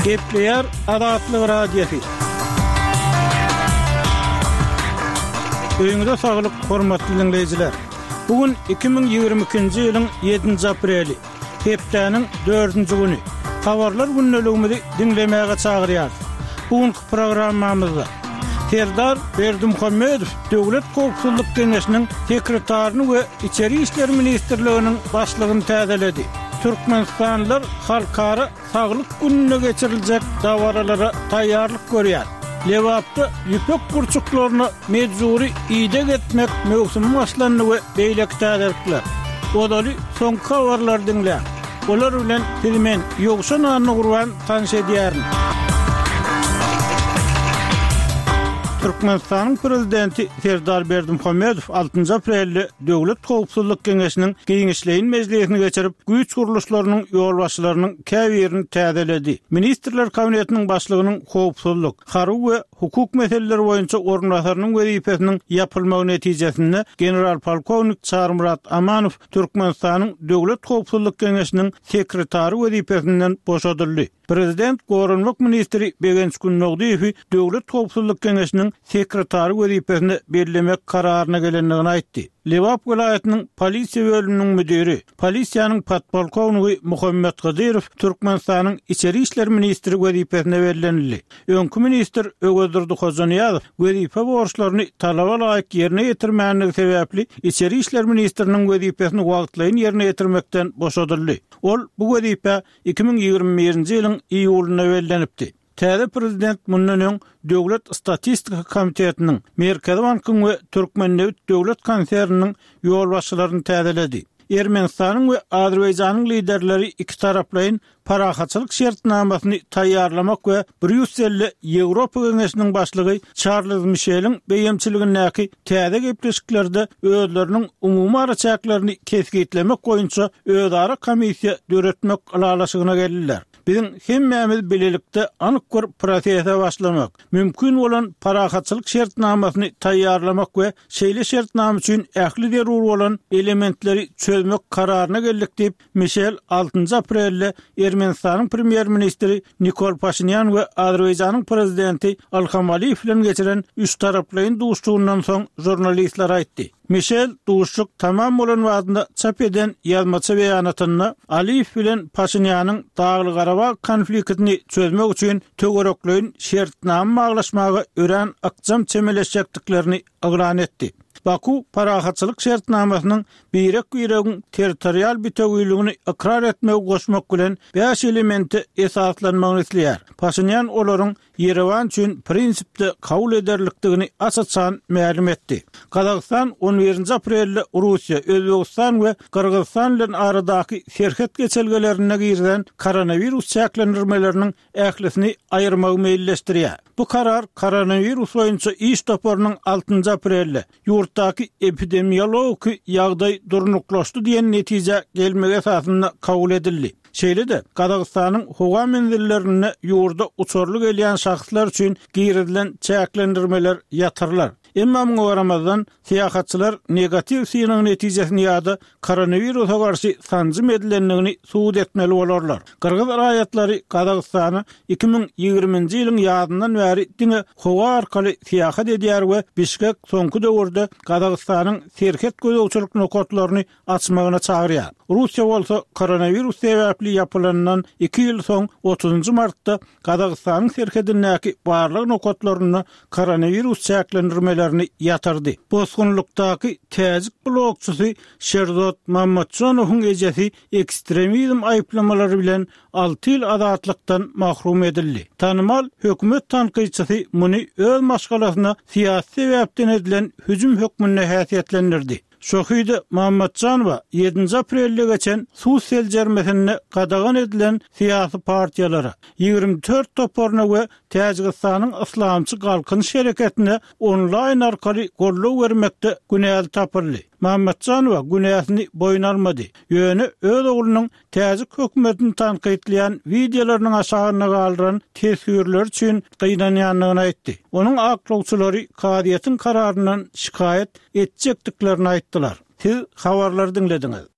Gepleýär Azatlyk Radiosy. Öýüňize saglyk, hormatly diňleýjiler! Bu gün 2022-nji ýylyň ýedinji apreli, hepdäniň dördünji güni. Habarlar gündeligimizi diňlemäge çagyrýarys. Bu günki programmamyzda Serdar Berdimuhamedow Döwlet howpsuzlyk geňeşiniň sekretaryny we Içeri işler ministrliginiň başlygyny täzeledi. Türkmenistanlylar Halkara saglyk gününde geçiriljek dabaralara taýýarlyk görýär. Lebapda ýüpek gurçuklaryna mejbury ideg etmek möwsümi başlandy we beýleki täzelikler. Ozaly soňky habarlary diňläň. Olar bilen sizi men, Ýowşan Annagurban tanyş edýärin. Türkmenistanyň Prezidenti Serdar Berdimuhamedow altynjy aprelde Döwlet howpsuzlyk geňeşiniň giňişleýin mejlisini geçirip, güýç gurluşlarynyň ýolbaşçylarynyň käbirini täzeledi. Ministrler Kabinetiniň başlygynyň howpsuzlyk, harby we hukuk meseleleri boýunça orunbasarynyň wezipesiniň ýapylmagy netijesinde general-polkownik Çarymyrat Amanow Türkmenistanyň Döwlet howpsuzlyk geňeşiniň sekretary wezipesinden boşadyldy. Prezident goranmak ministri Begenç Gündogdyýewi Döwlet howpsuzlyk geňeşiniň sekretary wezipesine bellemek kararyna gelendigini aýtdy. Lebap welaýatynyň polisiýa bölüminiň müdiri, polisiýanyň podpolkownigi Muhammet Hydyrow Türkmenistanyň içeri işler ministri wezipesine bellenildi. Öňki ministr Öwezdurdy Hojanyýazow wezipe borçlaryny talaba laýyk ýerine ýetirmändigi sebäpli içeri işler ministriniň wezipesini wagtlaýyn ýerine ýetirmekden boşadyldy. Ol bu wezipä 2021-nji ýylyň iýulynda bellenipdi. Täze prezident mundan öň Döwlet statistika komitetiniň, Merkezi bankyň we Türkmennebit döwlet konserniniň ýolbaşçylaryny täzeledi. Ermenistanyň we Azerbaýjanyň liderleri ikitaraplaýyn parahatçylyk şertnamasyny taýýarlamak we Brýusselde Ýewropa Geňeşiniň başlygy Çarlz Mişeliň beýemçiligindäki täze gepleşiklerde özleriniň umumy araçäklerini kesgitlemek boýunça özara komissiýa döretmek ylalaşygyna geldiler. Biziň hemmämiz bilelikde anyk bir prosese başlamak, mümkin bolan parahatçylyk şertnamasyny taýýarlamak we şeýle şertnama üçin ähli zerur bolan elementleri çözmek kararyna geldik diýip, Mişel altynjy aprelde Ermenistanyň premýer-ministri Nikol Paşinýan we Azerbaýjanyň prezidenti Ilham Aliýew bilen geçiren üçtaraplaýyn duşuşygyndan soň žurnalistlere aýtdy. Mişel duşuşyk tamam bolan badyna çap eden ýazmaça beýanatynda Aliýew bilen Paşinýanyň Dagly-Garabag konfliktini çözmek üçin töwerekleýin şertnama baglaşmaga örän ykjam çemeleşjekdiklerini yglan etdi. Baku parahatçylyk şertnamasynyň birek-biregiň territorial bitewiligini ykrar etmegi goşmak bilen bäş elemente esaslanmagyny isleýär. Paşinýan olaryň Ýerewan üçin prinsipde kabul ederlikdigini aç-açan mälim etdi. Gazagystan on birinji aprelde Russiýa, Özbegistan we Gyrgyzystan bilen aradaky serhet geçelgelerinde girizen koronawirus çäklendirmeleriniň ählisini aýyrmagy meýilleşdirýär. Bu karar koronawirus boýunça iş toparynyň altynjy aprelde ýurtdaky epidemiologiki ýagdaý durnuklaşdy diýen netijä gelmegi esasynda kabul edildi. Şeýle-de, Gazagystanyň howa menzillerinde ýurda uçarly gelýän şahslar üçin girizilen çäklendirmeler ýatyrylar. Emma muňa garamazdan, syýahatçylar negatiw synag netijesini ýa-da koronawirusa garşy sanjym edilendigini subut etmeli bolarlar. Gyrgyz raýatlary Gazagystana 2020-nji ýylyň ýazyndan bäri diňe howa arkaly syýahat edýär we Bişkek soňky döwürde Gazagystanyň serhet gözegçilik nokatlaryny açmagyna çagyrýar. Russiýa bolsa koronawirus sebäpli ýapylanyndan iki ýyl soň otuzynjy martda Gazagystanyň serhedindäki barlag nokatlarynda koronawirus çäklendirmelerini ýatyrdy. Bosgunlykdaky täjik blogçysy Şerzod Mammatjonowyň ejesi ekstremizm aýyplamalary bilen alty ýyl azatlykdan mahrum edildi. Tanymal hökümet tankytçysy muny öz maşgalasyna syýasy sebäpden edilen hüjüm hökmünde häsiýetlendirdi. Şohide Mammatjanowa ýedinji aprelde geçen sud seljermesinde gadagan edilen syýasy partiýalara, 24 toparyna we Täjigistanyň Yslamçy Galkynyş hereketine onlaýn arkaly goldaw bermekde günäli tapyldy. Mammatjanowa günäsini boýun almady, ýöne öz oglunyň Täjik hökümetini tankytlaýan wideolarynyň aşagynda galdyran teswirleri üçin gynanýandygyny aýtdy. Onuň aklawçylary kazyýetiň kararyndan şikaýat etjekdiklerini aýtdylar. Siz habarlary diňlediňiz.